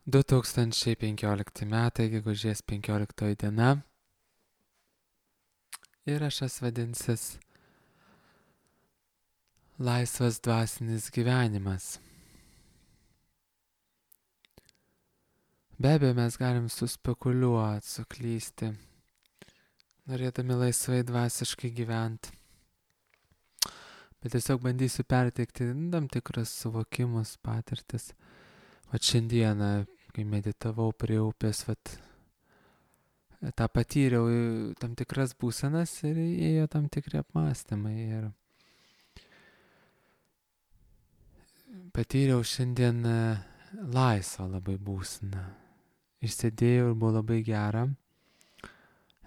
2015 metai, gegužės 15 diena. Įrašas vadinsis Laisvas dvasinis gyvenimas. Be abejo, mes galim suspekuliuoti, suklysti, norėdami laisvai dvasiškai gyventi. Bet tiesiog bandysiu perteikti tam tikras suvokimus, patirtis. Vat šiandieną, kai meditavau prie upės, tą patyriau tam tikras būsenas ir ėjo tam tikri apmąstymai. Ir patyriau šiandien laisvą labai būseną. Išsėdėjau ir buvo labai gera,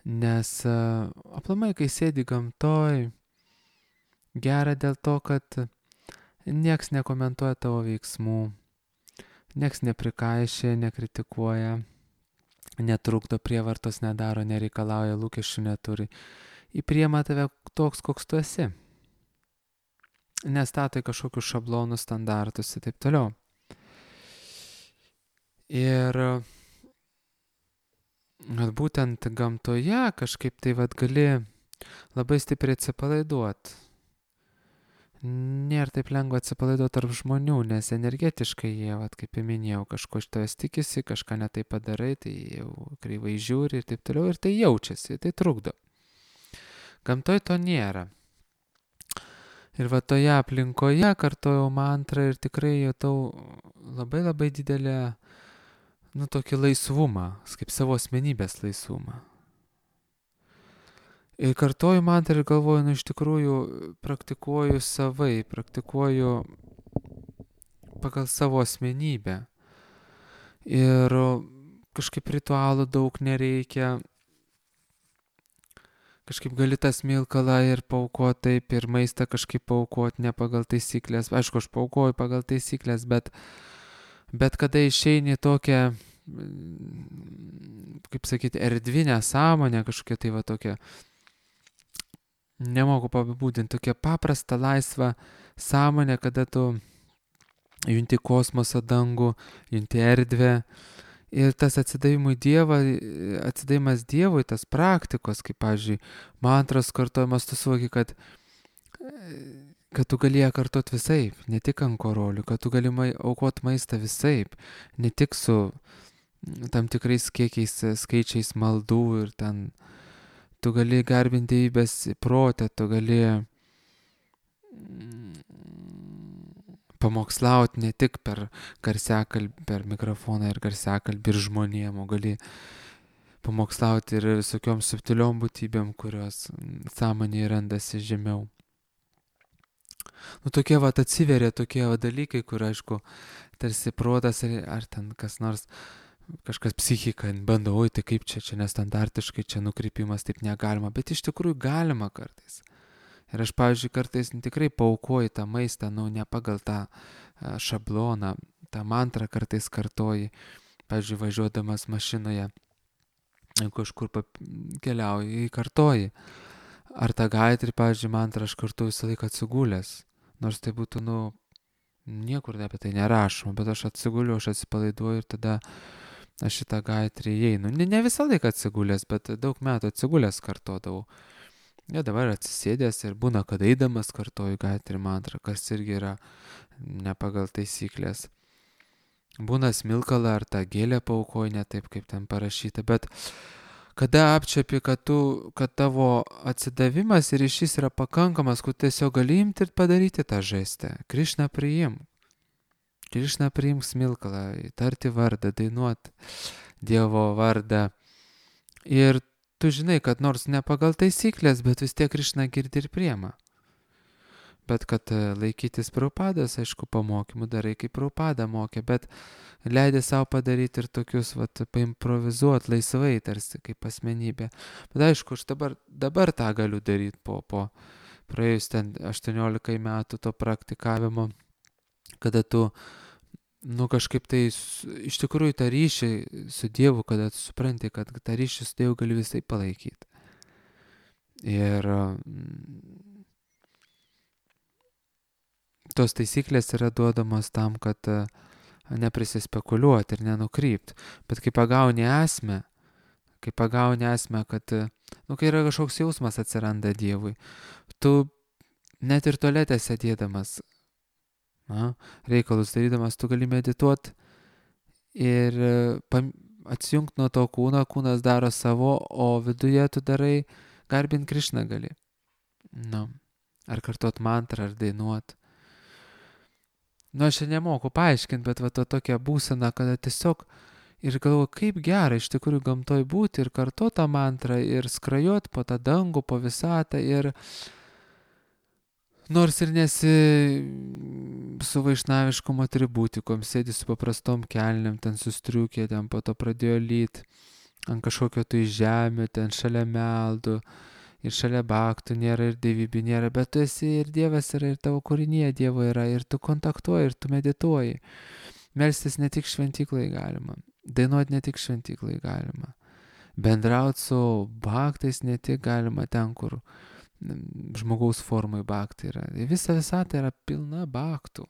nes aplamai, kai sėdi gamtoj, gera dėl to, kad nieks nekomentuoja tavo veiksmų, nieks neprikaišė, nekritikuoja, netrukdo, prievartos nedaro, nereikalauja, lūkesčių neturi. Įpriema tave toks, koks tu esi. Nestatai kažkokius šablonus, standartus ir taip toliau. Ir būtent gamtoje kažkaip tai gali labai stipriai atsipalaiduoti. Nėra taip lengva atsipalaiduoti tarp žmonių, nes energetiškai jie, kaip ir minėjau, kažko iš tavęs tikisi, kažką netai padarai, tai jau kreivai žiūri ir taip toliau, ir tai jaučiasi, tai trukdo. Gamtoj to nėra. Ir toje aplinkoje kartojau mantrą ir tikrai jutau labai labai didelę, tokį laisvumą, kaip savo asmenybės laisvumą. Ir kartoju mantrą ir galvoju, iš tikrųjų praktikuoju savai, praktikuoju pagal savo asmenybę. Ir kažkaip ritualų daug nereikia. Kažkaip gali tą smilkalą ir paaukoti taip, ir maistą kažkaip paaukoti ne pagal taisyklės. Aišku, aš paaukoju pagal taisyklės, bet kada išeini tokią, kaip sakyti, erdvinę sąmonę, kažkokią tai tokią, nemoku apibūdinti, tokią paprastą, laisvą sąmonę, kada tu junti kosmosą, dangų, junti erdvę. Ir tas atsidavimas Dievui, tas praktikos, kaip, pavyzdžiui, mantros kartojimas, tu suvoki, kad tu gali ją kartot visaip, ne tik ant korolių, kad tu gali aukoti maistą visaip, ne tik su tam tikrais kiekiais, skaičiais maldų ir ten tu gali garbinti Dievybės protę, tu gali pamokslauti ne tik per garsiakalbį, per mikrofoną ir garsiakalbį ir žmonėm, o gali pamokslauti ir visokiom subtiliom būtybėm, kurios sąmonėje randasi žemiau. Tokie atsiveria tokie dalykai, kur, aišku, tarsi protas ar ten kas nors, kažkas psichika bando, oi, tai kaip čia nestandartiškai, čia nukrypimas, taip negalima, bet iš tikrųjų galima kartais. Ir aš, pavyzdžiui, kartais tikrai paaukoju tą maistą, ne pagal tą šabloną, tą mantrą kartais kartoji, pavyzdžiui, važiuodamas mašinoje, kažkur keliauji, kartoji. Ar tą gaitrį, pavyzdžiui, mantrą aš kartoju visą laiką atsigulęs, nors tai būtų, niekur apie tai nerašoma, bet aš atsiguliu, aš atsipalaiduoju ir tada aš šitą gaitrį įeinu. Ne visą laiką atsigulęs, bet daug metų atsigulęs kartodavau. Ja, dabar atsisėdęs ir būna, kad eidamas kartoju gaitrį mantrą, kas irgi yra ne pagal taisyklės. Būna smilkalą ar tą gėlę paaukoju ne taip, kaip ten parašyta, bet kada apčiapi, kad tavo atsidavimas ir ryšys yra pakankamas, kad tiesiog gali imti ir padaryti tą žestą. Krišną priimk. Krišną priimk smilkalą, tarti vardą, dainuoti Dievo vardą. Ir tu žinai, kad nors ne pagal taisyklės, bet vis tiek Krišna girdi ir priema. Bet kad laikytis Prabhupados, aišku, pamokymų darai, kaip Prabhupada mokė, bet leidai savo padaryti ir tokius, paimprovizuoti laisvai, tarsi kaip asmenybė. Bet aišku, aš dabar tą galiu daryti po praėjus ten 18 metų to praktikavimo, kada tu kažkaip tai iš tikrųjų tą ryšį su Dievu, kada tu supranti, kad tą ryšį su Dievu gali visai palaikyti. Ir tos taisyklės yra duodamos tam, kad neprisispekuliuoti ir nenukrypti. Bet kai pagauni esmę, kad, kai yra kažkoks jausmas atsiranda Dievui, tu net ir tualete sėdėdamas, reikalus darydamas, tu gali medituoti ir atsijungti nuo to kūno, kūnas daro savo, o viduje tu darai, garbint Krišną gali. Ar kartot mantrą, ar dainuot. Aš čia nemoku paaiškinti, bet va tokia būsena, kada tiesiog ir galvoju, kaip gera iš tikrųjų gamtoj būti ir kartot tą mantrą ir skrajot po tą dangų, po visatą ir nors ir nesi su vaišnaviškom atributikom, sėdi su paprastom kelnėm, ten sustriukė, ten po to pradėjo lyt ant kažkokio tai žemė, ten šalia meldų ir šalia baktų nėra ir dievybė nėra, bet tu esi ir Dievas yra, ir tavo kūrinėje Dievo yra, ir tu kontaktuoji, ir tu medituoji. Melstis ne tik šventyklai galima, dainuoti ne tik šventyklai galima, bendrauti su baktais ne tik galima ten, kur žmogaus formai baktai yra. Visa visata yra pilna baktų,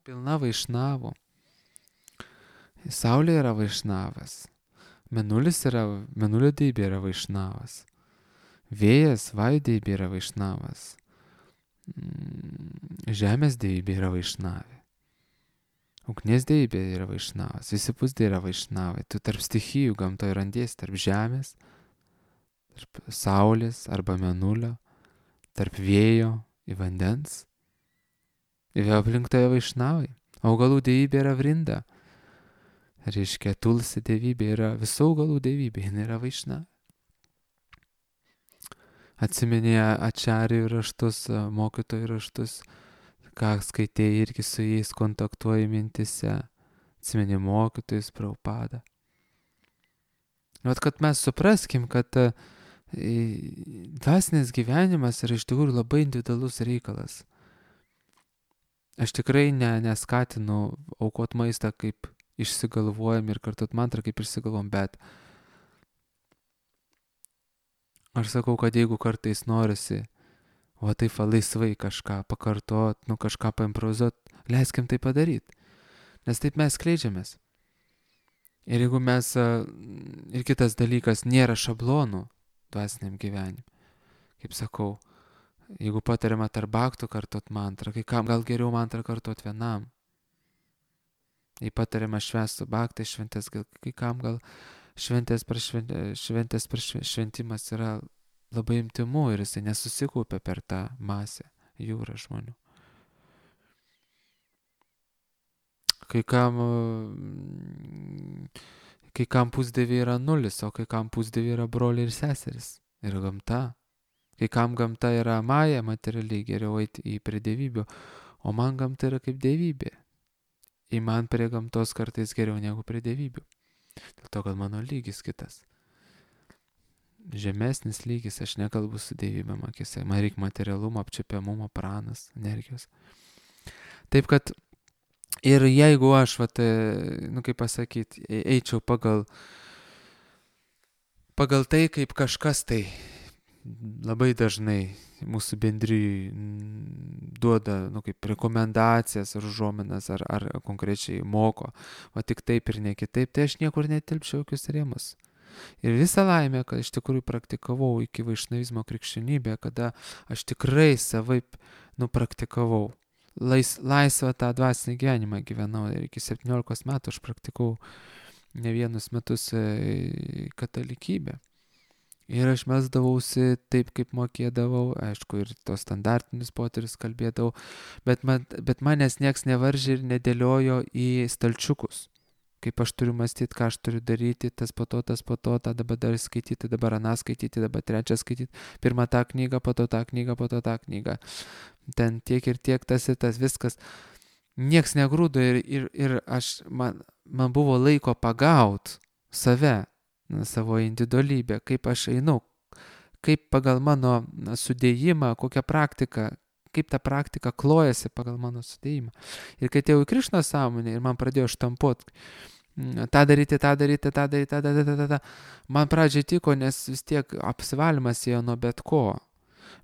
pilna vaišnavų. Saulė yra vaišnavas, mėnulio deivė yra vaišnavas, vėjas, vajų deivė yra vaišnavas, žemės deivė yra vaišnavė, ugnies deivė yra vaišnavas, visi pusdė yra vaišnavai. Tu tarp stichijų gamtoje randiesi, tarp žemės, tarp saulės arba mėnulio, tarp vėjo ir vandens. Ir aplink tave vaišnavai. Augalų deivė yra Vrinda. Reiškia, Tulsi deivybė yra visų augalų deivybė, jinai yra vaišnavė. Atsiminė ačarijų raštus, mokytojų raštus, ką skaitėjai irgi su jais kontaktuoji mintise. Atsiminė mokytojus, Prabhupadą. Kad mes supraskim, kad dvasinis gyvenimas yra iš tikrųjų labai individualus reikalas. Aš tikrai neskatinu aukot maistą kaip išsigalvojam ir kartot mantrą kaip išsigalvom, bet aš sakau, kad jeigu kartais norisi, taip laisvai kažką pakartot, kažką paimprovizuot, leiskim tai padaryti, nes taip mes skleidžiamės. Ir jeigu mes, ir kitas dalykas, nėra šablonų dvasiniam gyvenimui. Kaip sakau, jeigu patariama tarp baktų kartot mantrą, kai kam gal geriau mantrą kartot vienam. Jei patariama švęst su baktai šventės, kai kam gal šventės per šventimas yra labai intymu ir jisai nesusikaupia per tą masę, jūrą žmonių. Kai kam pusdieviai yra nulis, o kai kam pusdieviai yra broliai ir seseris. Yra gamta. Kai kam gamta yra maja, materialiai geriau eiti prie dievybių, o man gamta yra kaip dievybė. Ir man prie gamtos kartais geriau negu prie dievybių. Dėl to, kad mano lygis kitas. Žemesnis lygis, aš nekalbu su dievybėm akise. Man reikia materialumo, apčiapiamumo, pranas, energijos. Taip, kad ir jeigu aš, kaip pasakyti, eičiau pagal tai, kaip kažkas tai labai dažnai mūsų bendrijai duoda, kaip rekomendacijas ar užuominas, ar konkrečiai moko, tik taip ir ne kitaip, tai aš niekur netilpčiau jokius rėmus. Ir visą laimę, kad iš tikrųjų praktikavau iki vaišnavizmo krikščionybę, kada aš tikrai savaip praktikavau. Laisvą tą dvasinį gyvenimą gyvenau ir iki 17 metų aš praktikavau ne vienus metus katalikybę. Ir aš melsdavausi taip, kaip mokėdavau, aišku, ir tos standartinius poterius kalbėdavau, bet manęs nieks nevaržė ir nedėliojo į stalčiukus. Kaip aš turiu mąstyti, ką aš turiu daryti, tas po to, tą dabar dar skaityti, dabar aną skaityti, dabar trečią skaityti, pirmą tą knygą, po to tą knygą, po to tą knygą. Ten tiek ir tiek, tas ir tas, viskas. Nieks negrūdo ir man buvo laiko pagaut save, savo individualybę, kaip aš einu, kaip pagal mano sudėjimą, kokią praktiką, kaip ta praktika klojasi pagal mano sudėjimą. Ir kai atėjau į Krišnos sąmonę ir man pradėjo štampuoti, tą daryti, man pradžiai tiko, nes vis tiek apsivalymas ėjo nuo bet ko.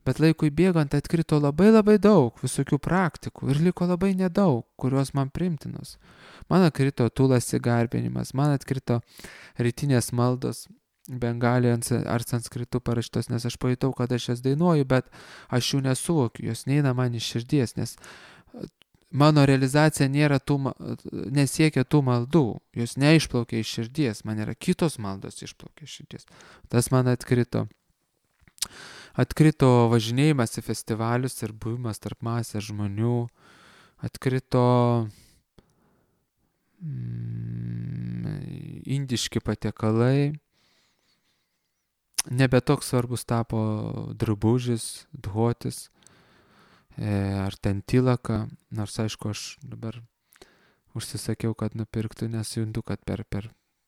Bet laikui bėgant atkrito labai daug visokių praktikų ir liko labai nedaug, kurios man primtinos. Man atkrito tulasi garbinimas, man atkrito rytinės maldos bengalijos ar sanskritu parašytos, nes aš pajutau, kad aš jas dainuoju, bet aš jų nesuvokiu, jos neina man iš širdies, nes mano realizacija nesiekia tų maldų, jos neišplaukia iš širdies, man yra kitos maldos išplaukia iš širdies. Tas man atkrito. Atkrito važinėjimas į festivalius ir buvimas tarp masės žmonių, atkrito indiški patiekalai, nebe toks svarbus tapo drabužis, dhotis ar ten tilaka, nors aišku aš dabar užsisakiau, kad nupirktų, nes juntu, kad per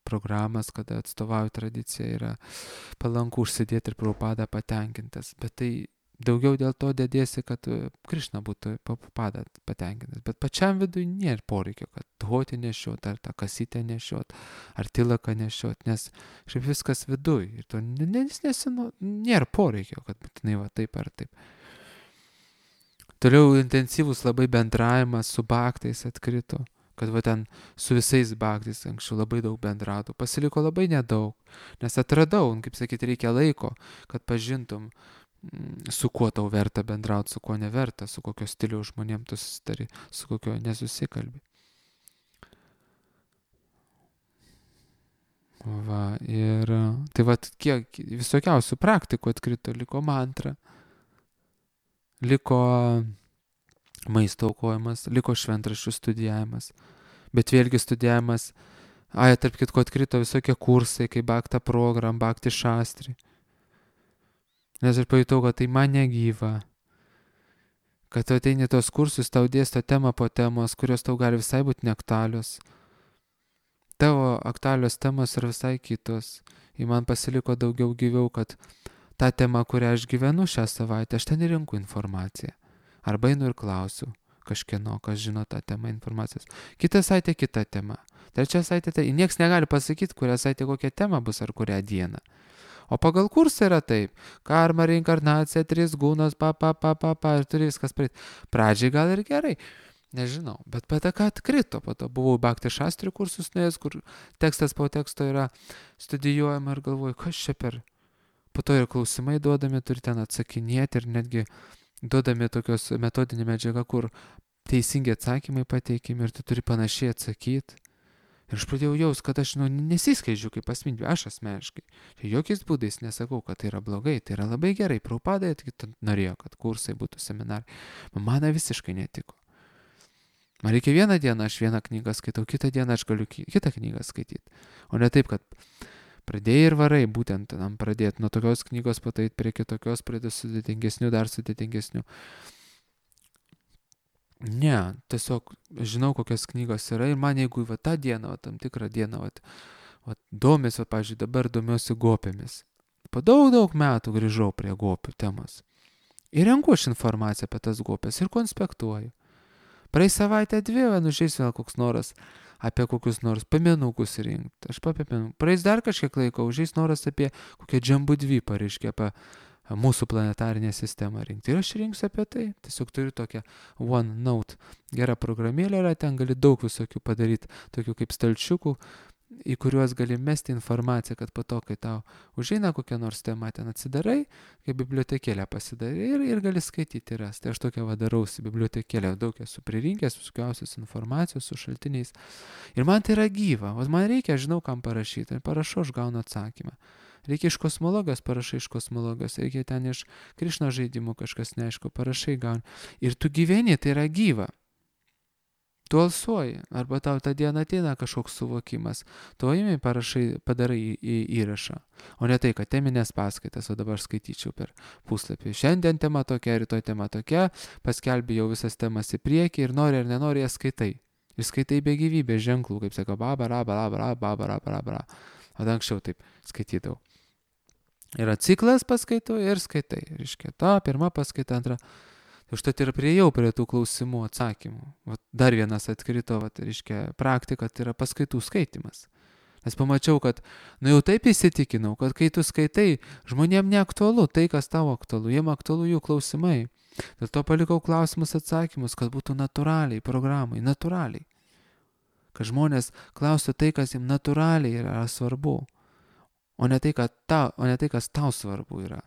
programas, kada atstovauju tradiciją, yra palanku užsidėti ir Prabhupada patenkintas. Bet tai daugiau dėl to dėdėsi, kad Krišna būtų Prabhupada patenkintas. Bet pačiam vidui nėra poreikio, kad dhoti nešiot, ar tą kasytę nešiot, ar tilaką nešiot, nes šiaip viskas viduj. Ir to nėra poreikio, kad būtinai va taip ar taip. Toliau intensyvus labai bendravimas su bhaktais atkrito. Kad va ten su visais bhaktais anksčiau labai daug bendrautų, pasiliko labai nedaug, nes atradau, kaip sakyti, reikia laiko, kad pažintum, su kuo tau verta bendrauti, su kuo neverta, su kokio stiliaus žmonėm tu susitari, su kokio nesusikalbi. Va, ir tai va, kiek visokiausių praktikų atkrito, liko mantra, liko maisto aukojimas, liko šventraščių studijavimas, bet vėlgi studijavimas, tarp kitko atkrito visokie kursai, kaip Bhakta program, Bhakti šastri. Nes aš pajutau, kad tai man negyva, kad tu ateini tos kursus, tau dėsto temą po temos, kurios tau gali visai būti neaktualios. Tavo aktualios temos yra visai kitos. Ir man pasiliko daugiau gyviau, kad tą temą, kurią aš gyvenu šią savaitę, aš ten rinku informaciją. Arba einu ir klausiu kažkieno, kas žino tą temą informacijos. Kitą savaitę kita tema. Trečią savaitę tai nieks negali pasakyti, kurią savaitę kokia tema bus ar kurią dieną. O pagal kursą yra taip. Karma, reinkarnacija, 3 gūnos, ir turi viskas praeiti. Pradžiai gal ir gerai. Nežinau. Bet ką atkrito. Po to buvau Bhakti šastri kursus nuėjęs, kur tekstas po teksto yra studijuojama ir galvoju, kas čia per. Po to ir klausimai duodami, turi ten atsakinėti ir netgi duodami tokios metodinė medžiaga, kur teisingi atsakymai pateikimi ir tu turi panašiai atsakyti. Ir aš pradėjau jaus, kad aš nesiskleidžiu kaip asmenybė, aš asmeniškai. Jokiais būdais nesakau, kad tai yra blogai, tai yra labai gerai. Prabhupada norėjo, kad kursai būtų seminarai. Man visiškai netiko. Man reikia vieną dieną, aš vieną knygą skaitau, kitą dieną aš galiu kitą knygą skaityti. O ne taip, kad pradėjai ir varai, būtent tam pradėti nuo tokios knygos pataiti prie kitokios, prie sudėtingesnių, dar sudėtingesnių. Ne, tiesiog žinau, kokios knygos yra ir man jeigu va tą dieną, va tam tikrą dieną, va domės, va pavyzdžiui, dabar domiuosi gopėmis. Po daug metų grįžau prie gopių temos. Ir renku aš informaciją apie tas gopės ir konspektuoju. Praeis savaitę 2, nužeis vėl koks noras apie kokius nors piemenukus rinkti. Aš papiemenų. Praeis dar kažkiek laiko, užeis noras apie kokią Džambudvipą, reiškia, apie mūsų planetarinę sistemą rinkti. Ir aš rinksiu apie tai. Tiesiog turiu tokią OneNote gerą programėlę, ten gali daug visokių padaryti, tokių kaip stalčiukų, į kuriuos gali mesti informaciją, kad po to, kai tau užeina kokią nors temą, ten atsidarai, kaip bibliotekėlę pasidarai ir gali skaityti ir rasti. Tai aš tokią darausi bibliotekėlę, daug esu pririnkęs visokiausios informacijos su šaltiniais. Ir man tai yra gyva, o man reikia, žinau, kam parašyti. Ir parašau, aš gaunu atsakymą. Reikia iš kosmologijos, parašai iš kosmologijos, reikia ten iš Krišno žaidimų kažkas neaišku, parašai gauni. Ir tu gyveni, tai yra gyva. Tu alsuoji, arba tau tą dieną ateina kažkoks suvokimas, tu įimi parašai, padarai įrašą, o ne tai, kad teminės paskaitas, o dabar skaityčiau per puslapį. Šiandien tema tokia, rytoj tema tokia, paskelbi jau visas temas į priekį ir nori ar nenori jas skaitai. Ir skaitai be gyvybės ženklų, kaip sako, babara. O anksčiau taip skaitydavau. Yra ciklas paskaitų ir skaitai. Reiškia, ta pirma paskaita, antra. Užtat ir priejau prie tų klausimų atsakymų. Dar vienas atkrito, reiškia, praktika, tai yra paskaitų skaitimas. Nes pamačiau, kad, jau taip įsitikinau, kad kai tu skaitai, žmonėm neaktualu tai, kas tavo aktualu, jiem aktualu jų klausimai. Dėl to palikau klausimus atsakymus, kad būtų natūraliai programai, natūraliai. Kad žmonės klaustų tai, kas jiems natūraliai yra svarbu, o ne tai, kas tau svarbu yra.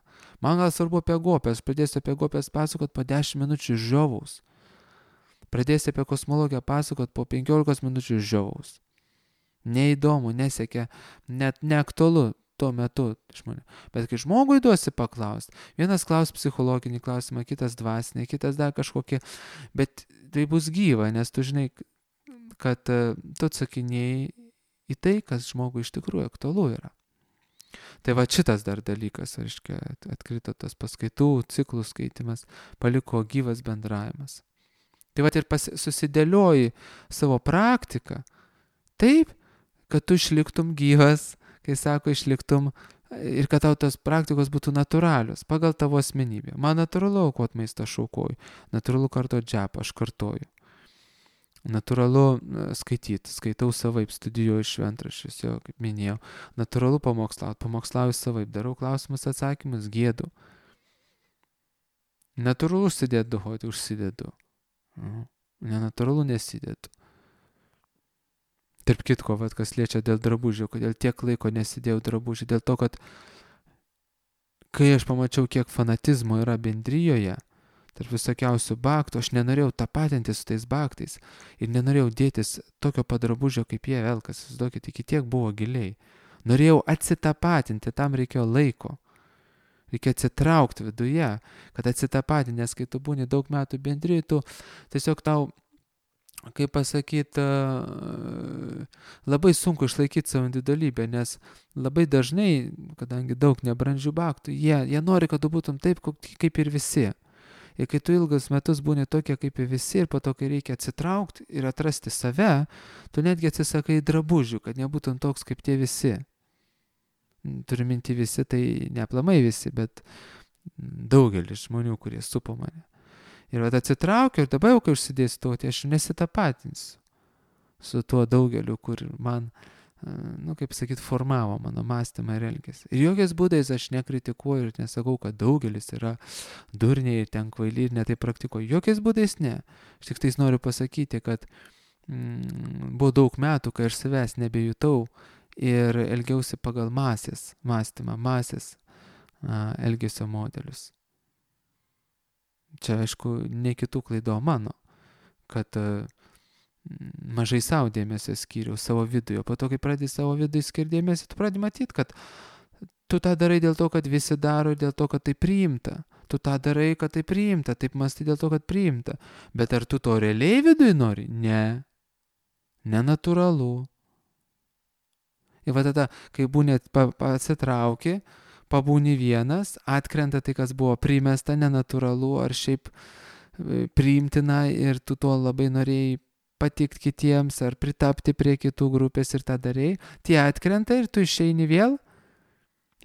Man gal svarbu apie gopės, pradėsiu apie gopės pasakot po 10 minučių žiovaus. Pradėsiu apie kosmologiją pasakot po 15 minučių žiovaus. Neįdomu, nesiekia, net neaktualu tuo metu žmonių. Bet kai žmogui duosi paklausti, vienas klaus psichologinį klausimą, kitas dvasinį, kitas dar kažkokį, bet tai bus gyva, nes tu žinai, kad tu atsakinėjai į tai, kas žmogui iš tikrųjų aktualu yra. Tai va šitas dar dalykas, reiškia, atkrito tas paskaitų, ciklų skaitimas, paliko gyvas bendravimas. Tai va ir susidėlioji savo praktiką taip, kad tu išliktum gyvas, kai sako išliktum, ir kad tau tos praktikos būtų natūralios, pagal tavo asmenybę. Man natūralu aukot maistą, aš aukoju. Natūralu kartot džepą, aš kartoju. Natūralu skaitau savaip, studijuoju šventraščius, jau kaip minėjau. Natūralu pamokslauju savaip, darau klausimus, atsakymus, gėdu. Natūralu užsidedu. Nenatūralu nesidedu. Tarp kitko, kas liečia dėl drabužių, kodėl tiek laiko nesidėjau drabužių, dėl to, kad kai aš pamačiau, kiek fanatizmo yra bendrijoje, tarp visokiausių baktų, aš nenorėjau tapatinti su tais baktais ir nenorėjau dėtis tokio padrabužio, kaip jie velkas, įsivaizduokit, iki tiek buvo giliai. Norėjau atsitapatinti, tam reikėjo laiko. Reikia atsitraukti viduje, kad atsitapatinti, nes kai tu būni daug metų bendrijoje, tu tiesiog tau, kaip pasakyti, labai sunku išlaikyti savo individualybę, nes labai dažnai, kadangi daug nebrandžių baktų, jie nori, kad tu būtum taip, kaip ir visi. Ir kai tu ilgus metus būni tokie kaip ir visi, ir po to, kai reikia atsitraukti ir atrasti save, tu netgi atsisakai drabužių, kad nebūtum toks kaip tie visi. Turiu minti visi, tai ne aplamai visi, bet daugelis žmonių, kurie supo mane. Ir atsitraukiu ir dabar jau, kai užsidėsiu to, tai aš nesitapatinsiu su tuo daugeliu, kur man, kaip sakyt, formavo mano mąstymą ir elgesį. Ir jokiais būdais aš nekritikuoju ir nesakau, kad daugelis yra durniai ir ten kvailiai ir netai praktikuoju. Jokiais būdais ne. Aš tik tais noriu pasakyti, kad buvo daug metų, kai aš savęs nebejutau ir elgiausi pagal masės mąstymą, masės elgesio modelius. Čia, aišku, ne kitų klaido mano, kad mažai savo dėmesio skyriau savo viduje. Po to, kai pradedi savo viduje skirti dėmesį, tu pradedi matyti, kad tu tą darai dėl to, kad visi daro, dėl to, kad tai priimta. Tu tą darai, kad tai priimta, taip mąstai dėl to, kad priimta. Bet ar tu to realiai viduje nori? Ne. Nenatūralu. Ir va tada, kai būni atsitrauki, pabūni vienas, atkrenta tai, kas buvo primesta, nenatūralu ar šiaip priimtina ir tu to labai norėjai patikti kitiems ar pritapti prie kitų grupės ir tą darėjai, tie atkrenta ir tu išeini vėl,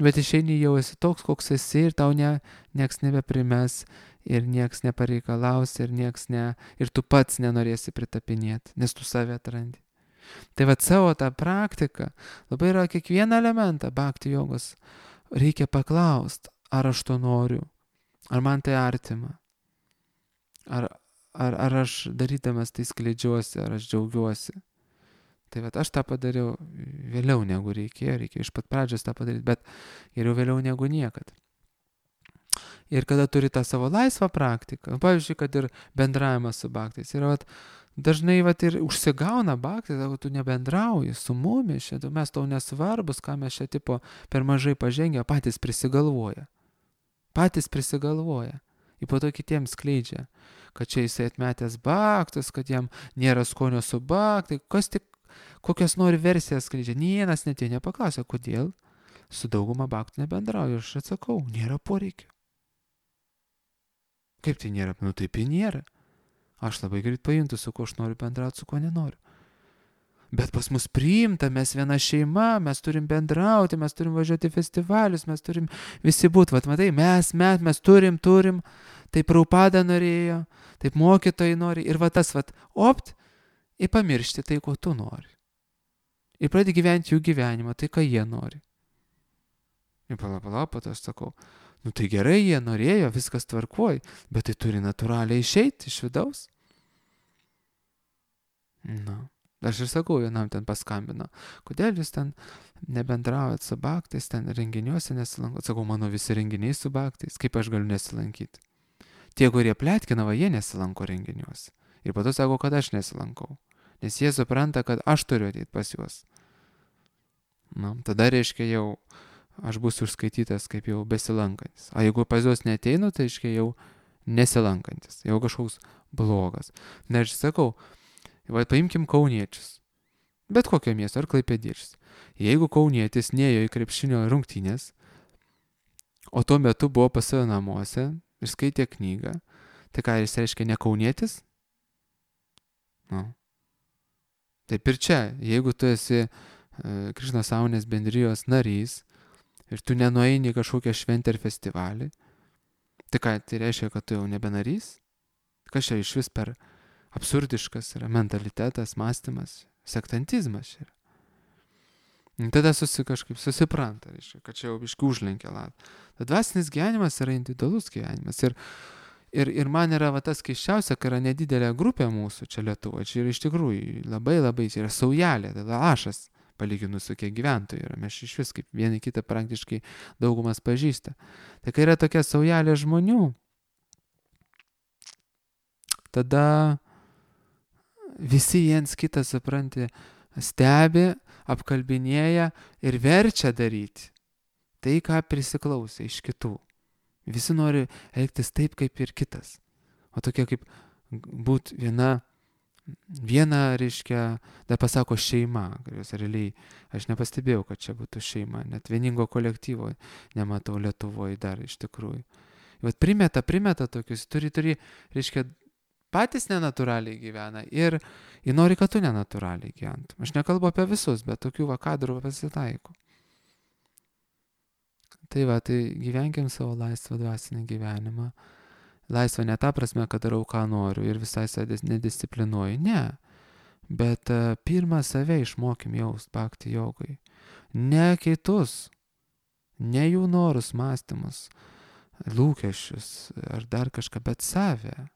bet išeini jau esi toks, koks esi ir tau nieks nebeprimes ir nieks nepareikalaus ir tu pats nenorėsi pritapinėti, nes tu save atrandi. Tai va savo tą praktiką, labai yra kiekvieną elementą bhakti jogos, reikia paklausti, ar aš to noriu, ar man tai artima, ar aš darydamas tai skleidžiuosi, ar aš džiaugiuosi. Tai vat aš tą padariau vėliau negu reikėjo iš pat pradžios tą padaryti, bet geriau vėliau negu niekad. Ir kada turi tą savo laisvą praktiką, pavyzdžiui, kad ir bendravimas su bhaktais, yra dažnai ir užsigauna bhaktai, sako, tu nebendrauji su mumis, mes tau nesvarbus, ką mes čia tipo per mažai pažengę, patys prisigalvoja. Ir po to kitiems skleidžia, kad čia jisai atmetęs bhaktus, kad jam nėra skonio su bhaktai, kokias nori versijas skleidžia. Nienas net nepaklausė, kodėl su dauguma bhaktų nebendrauju. Aš atsakau, nėra poreikio. Kaip tai nėra? Taip ir nėra. Aš labai greit pajuntu, su kuo aš noriu bendrauti, su kuo nenoriu. Bet pas mus priimta, mes viena šeima, mes turim bendrauti, mes turim važiuoti į festivalius, mes turim visi būti. Vat matai, mes turim, taip Prabhupada norėjo, taip mokytojai nori. Ir tas, ir pamiršti tai, ko tu nori. ir pradedi gyventi jų gyvenimą, tai ką jie nori. Ir pala, po to aš sakau, nu tai gerai, jie norėjo, viskas tvarkoj, bet tai turi natūraliai išeiti iš vidaus. Na, aš ir sakau, vienam ten paskambino, kodėl jūs ten nebendraujat su baktais, ten renginiuose nesilankot. Sakau, mano visi renginiai su baktais, kaip aš galiu nesilankyti. Tie, kurie pletkina, jie nesilanko renginiuose. Ir po to sako, kad aš nesilankau. Nes jie supranta, kad aš turiu ateiti pas juos. Na, tada reiškia jau aš būsiu užskaitytas kaip jau besilankantis. O jeigu pas juos neteinu, tai reiškia jau nesilankantis. Jau kažkoks blogas. Na, aš sakau, paimkim kauniečius. Bet kokio miesto, ar klaipėdiečius. Jeigu kaunietis nėjo į krepšinio rungtynės, o tuo metu buvo pas save namuose ir skaitė knygą, tai ką jis reiškia ne kaunietis? Nu. Taip ir čia, jeigu tu esi Krišnos sąmonės bendrijos narys ir tu nenueini į kažkokią šventę ar festivalį, tai ką, tai reiškia, kad tu jau nebe narys? Kas čia iš vis per absurdiškas yra mentalitetas, mąstymas, sektantizmas yra. Tada kažkaip susipranta, reiškia, kad čia jau biškį užlenkia latą. Tad dvasinis gyvenimas yra individualus gyvenimas. Ir man yra tas keiščiausia, kai yra nedidelė grupė mūsų čia Lietuvoje. Čia yra iš tikrųjų labai, čia yra saujelė, tai lašas palyginus su kiek gyventojų yra. Mes iš vis kaip vieni kitą praktiškai daugumas pažįsta. Tai kai yra tokia saujelė žmonių, tada visi viens kitą, supranti, stebi, apkalbinėja ir verčia daryti tai, ką prisiklausė iš kitų. Visi nori elgtis taip, kaip ir kitas. O tokia kaip būt viena, reiškia, dar pasako šeima, kurios realiai aš nepastebėjau, kad čia būtų šeima, net vieningo kolektyvo nematau Lietuvoje dar iš tikrųjų. Vat primeta tokius, turi, reiškia, patys nenatūraliai gyvena ir nori, kad tu nenatūraliai gyventum. Aš nekalbu apie visus, bet tokių kadrų pasitaiko. Tai gyvenkim savo laisvą dvasinį gyvenimą. Laisvą ne ta prasme, kad darau, ką noriu ir visai save nedisciplinuoju. Ne. Bet pirmą save išmokim jaust bhakti jogai. Ne kitus. Ne jų norus, mąstymus, lūkesčius ar dar kažką, bet save.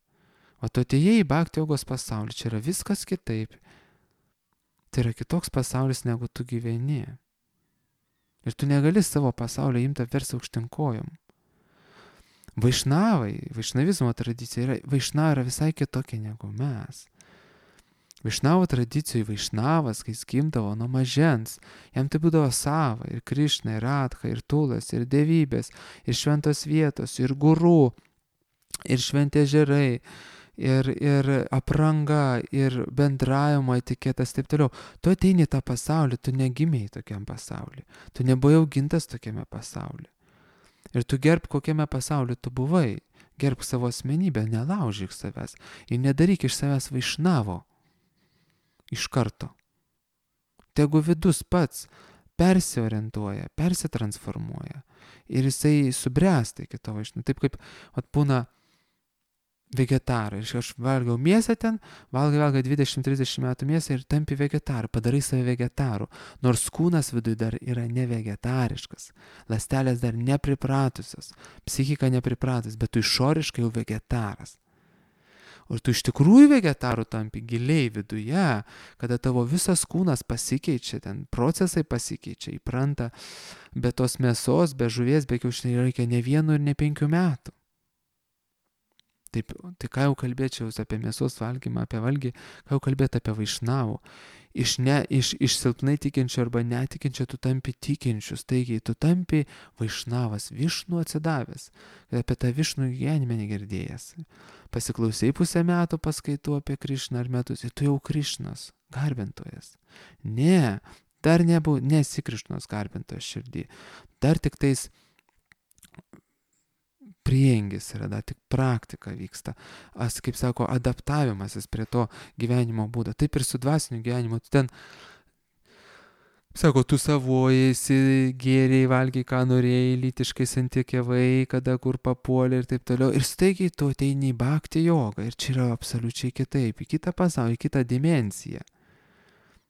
O tu atėjai į bhakti jogos pasaulį. Čia yra viskas kitaip. Tai yra kitoks pasaulis, negu tu gyveni. Ir tu negali savo pasaulio imti apversti aukštyn kojom. Vaišnavizmo tradicija yra visai kitokia negu mes. Vaišnavo tradicijoje vaišnavas, kai jis gimdavo nuo mažens, jam tai būdavo sava, ir Krišna, ir Radha, ir Tulas, ir dievybės, ir šventos vietos, ir guru, ir šventi ežerai, ir apranga, ir bendravimo etiketas, taip toliau. Tu ateini į tą pasaulį, tu negimėjai tokiam pasauliu. Tu nebuvai augintas tokiame pasauliu. Ir tu gerb, kokiame pasauliu tu buvai. Gerb savo asmenybę, nelaužyk savęs. Ir nedaryk iš savęs vaišnavo. Iš karto. Tegu vidus pats persiorientuoja, persitransformuoja. Ir jisai subręsta iki to vaišnavo. Taip kaip būna vegetarai. Aš valgiau mėsą ten, valgai 20-30 metų mėsą ir tampi vegetaru, padarai save vegetaru. Nors kūnas viduje dar yra nevegetariškas, ląstelės dar nepripratusios, psichika nepripratus, bet tu išoriškai jau vegetaras. Ir tu iš tikrųjų vegetaru tampi giliai viduje, kada tavo visas kūnas pasikeičia, ten procesai pasikeičia, įpranta, be tos mėsos, be žuvies, be kiaušinių reikia ne 1 ir ne 5 metų. Taip, tai ką jau kalbėčiau apie mėsos valgymą, apie valgį, ką jau kalbėti apie vaišnavų. Iš silpnai tikinčių arba netikinčių tu tampi tikinčius, taigi tu tampi vaišnavas, višnų atsidavęs, apie tą višnų gyvenime negirdėjęs. Pasiklausai pusę metų paskaitų apie Krišną ar metus ir tu jau Krišnos garbintojas. Ne, dar nesi Krišnos garbintojas širdį, dar tik tais priengis yra, dar tik praktika vyksta. Kaip sako, adaptavimasis prie to gyvenimo būdo. Taip ir su dvasiniu gyvenimu. Tu ten, sako, tu savojasi, gėriai, valgiai, ką norėjai, lytiškai santykiavai, kada kur papuolė ir taip toliau. Ir staigiai tu ateini į bhakti jogą. Ir čia yra absoliučiai kitaip. Į kitą pasaulį, į kitą dimensiją.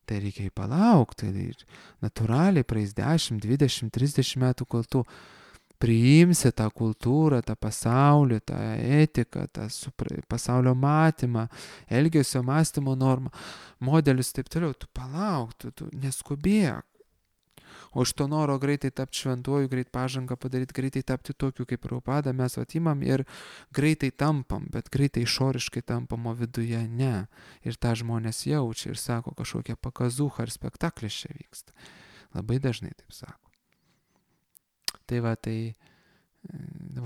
Tai reikia palaukti. Ir natūraliai praeis 10, 20, 30 metų, kol tu priimsi tą kultūrą, tą pasaulį, tą etiką, tą pasaulio matymą, elgesio mąstymo normą, modelius ir taip toliau. Tu palauk, tu neskubėk. O iš to noro greitai tapti šventuoju, greit pažangą padaryti, greitai tapti tokiu kaip Prabhupada, mes atimam ir greitai tampam, bet greitai išoriškai tampam, o viduje ne. Ir tą žmonės jaučia ir sako, kažkokia pakazuha ar spektaklis čia vyksta. Labai dažnai taip sako. Tai va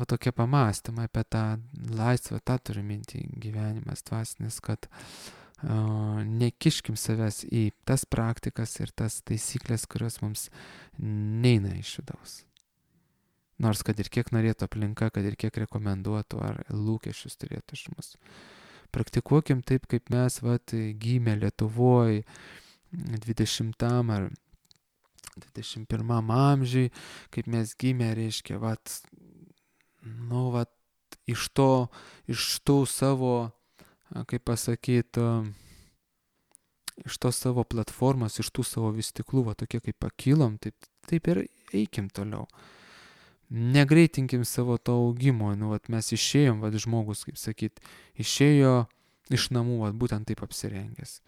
tokie pamastymai apie tą laisvę, tą turiu mintį gyvenimas dvasinis, kad nekiškim savęs į tas praktikas ir tas taisyklės, kurios mums neina iš vidaus. Nors kad ir kiek norėtų aplinka, kad ir kiek rekomenduotų ar lūkesčius turėtų iš mus. Praktikuokim taip, kaip mes gimė Lietuvoje 20 ar 21 amžiui, kaip mes gimė, reiškia, iš tų savo, kaip pasakyti, iš tos savo platformos, iš tų savo vystiklų, tokie kaip pakilom, taip ir eikim toliau. Negreitinkim savo to augimo, mes išėjom, žmogus, kaip sakyt, išėjo iš namų, būtent taip apsirengęs.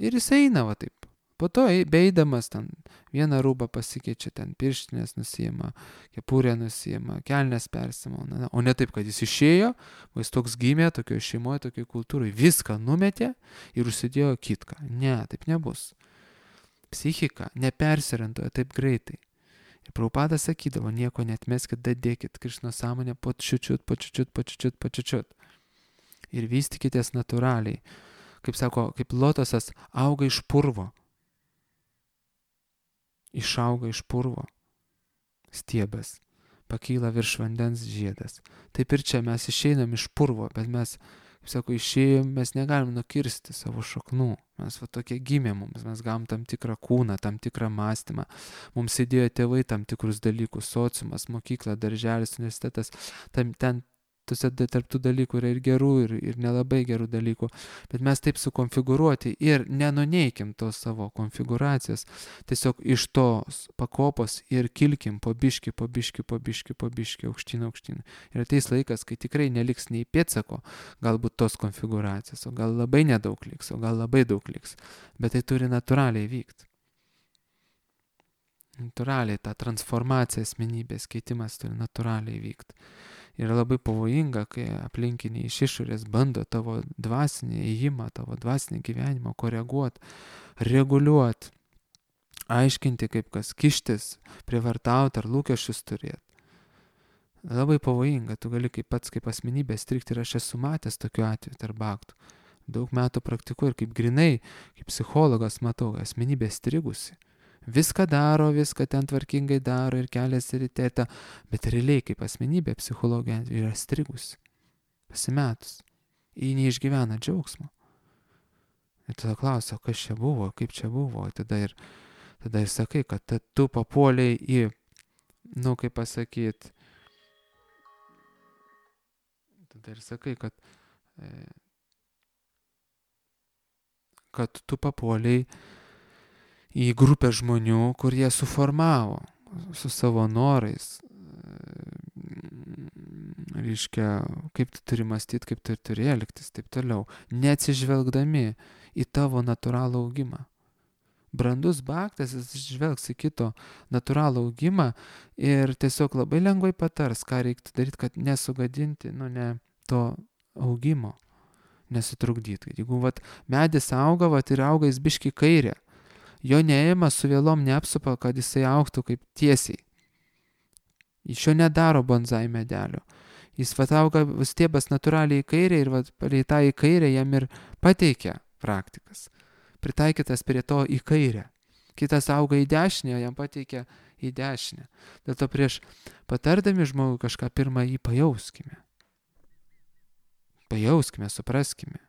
Ir jis eina, taip. Po to beidamas ten vieną rūbą pasikeičia, ten pirštinės nusiima, kepurę nusiima, kelnes persimauna. O ne taip, kad jis išėjo, jis toks gimė, tokioje šeimoje, tokioje kultūroje, viską numetė ir užsidėjo kitką. Ne, taip nebus. Psichika nepersiorientuoja taip greitai. Ir Prabhupada sakydavo, nieko netmeskit, dadėkit Krišno sąmonę po čiučiut. Ir vystykitės natūraliai. Kaip sako, kaip lotosas auga iš purvo. Išauga iš purvo stiebas, pakyla virš vandens žiedas. Taip ir čia mes išeinam iš purvo, bet mes, kaip sako, išėjom, mes negalim nukirsti savo šaknų. Mes tokie gimė mums, mes gavom tam tikrą kūną, tam tikrą mąstymą. Mums įdėjo tėvai tam tikrus dalykus, sociumas, mokykla, darželis, universitetas, ten tarp tų dalykų yra ir gerų, ir nelabai gerų dalykų, bet mes taip sukonfigūruoti ir nenuneikim tos savo konfigūracijos, tiesiog iš tos pakopos ir kilkim po biškį, aukštyn. Ir ateis laikas, kai tikrai neliks nei pėdsako, galbūt tos konfigūracijos, o gal labai nedaug liks, o gal labai daug liks, bet tai turi natūraliai vykti. Natūraliai ta transformacija, asmenybės keitimas turi natūraliai vykti. Yra labai pavojinga, kai aplinkiniai iš išorės bando tavo dvasinį ėjimą, tavo dvasinį gyvenimą koreguoti, reguliuoti, aiškinti, kaip kas kištis, prievartauti ar lūkesčius turėti. Labai pavojinga, tu gali kaip pats kaip asmenybė strigti ir aš esu matęs tokiu atveju tarp bhaktų. Daug metų praktikuoju ir kaip grinai, kaip psichologas matau, asmenybė strigusi. Viską daro, viską ten tvarkingai daro ir keliasi ryte, bet realiai kaip asmenybė psichologija yra strigusi, pasimetus, ji neišgyvena džiaugsmo. Ir tada klausia, kas čia buvo, kaip čia buvo, tada ir sakai, kad tu papuoliai į, kaip pasakyti, tada ir sakai, kad tu papuoliai į grupę žmonių, kur jie suformavo su savo norais, reiškia, kaip tu turi mąstyti, kaip tu turi elgtis, taip toliau, neatsižvelgdami į tavo natūralų augimą. Brandus bhaktas, jis žvelgs į kito natūralų augimą ir tiesiog labai lengvai patars, ką reiktų daryti, kad nesugadinti, ne to augimo, nesutrukdyti. Jeigu medis auga, ir auga jis biški kairė, jo neėma su vėlom neapsupa, kad jisai augtų kaip tiesiai. Iš jo nedaro bonsai medelio. Jis auga stiebas natūraliai į kairę ir palei tą į kairę jam ir pateikia praktikas. Pritaikytas prie to į kairę. Kitas auga į dešinę, jam pateikia į dešinę. Dėl to prieš patardami žmogui kažką pirmą jį pajauskime. Pajauskime, supraskime.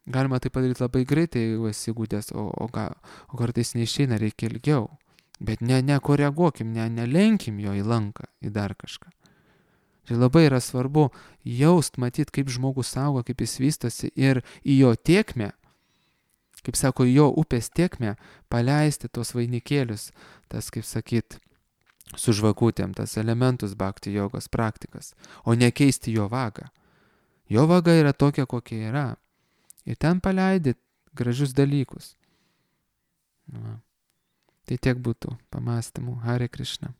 Galima tai padaryti labai greitai, jeigu esi įgūdęs, o kartais neišeina, reikia ilgiau. Bet nekoreguokim, nelenkim jo į lanką, į dar kažką. Tai labai yra svarbu jaust, matyti, kaip žmogus auga, kaip jis vystosi ir į jo tėkmę kaip sako, jo upės tėkmę paleisti tos vainikėlius, tas, kaip sakyt, su žvakutėm, tas elementus bhakti jogos praktikas, o nekeisti jo vagą. Jo vaga yra tokia, kokia yra. Ir ten paleidi gražius dalykus. Va. Tai tiek būtų pamastymų. Hare Krishna.